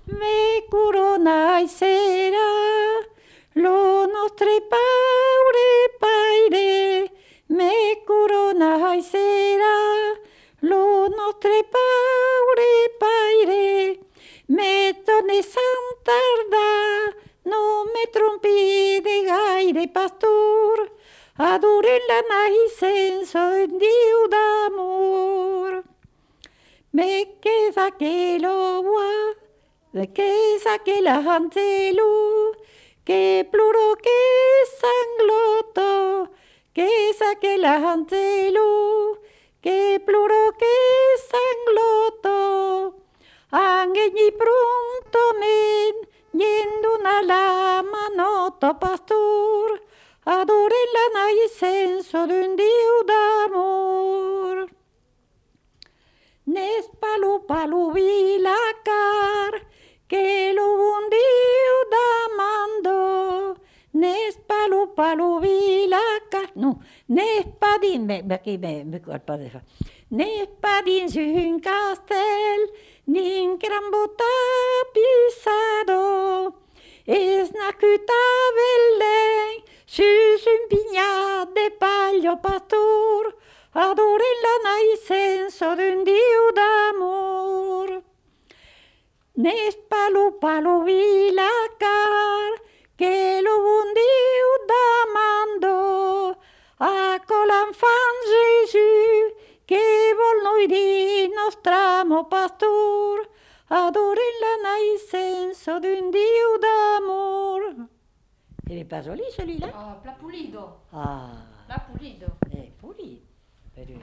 me corona i sera, lo nostre paure paire, me corona i sera, lo nostre paure paire, me torne sant tardar, no me trompi de gaire pastor, adoren la naixença d'un Déu d'amor. Me queda que lo bois, me queda que la antelo, que pluro, que sangloto, que saque la antelo, que pluro, que sangloto. Angegni pronto men, yendo una lama noto pastor, adoren la naixença d'un Déu d'amor. Nes palu vilacar, que lo bon Déu demando. Nes palu vilacar, no, nes pa dins, aquí me colpa de fa. Nes pa dins un castell, ni un gran tapissado. Es nascut a Belén, sus un pinyat de pallo pastor, adoren la naixença d'un Déu d'amor. Nes palu vilacar, que lo bon Déu demando, a l'enfant Jésus, que vol noi dir nostre amo pastor, adoren la naixença d'un Déu d'amor. Il n'est pas joli celui-là? Ah, pla pulido. Ah, Pla pulido. pulito. Pero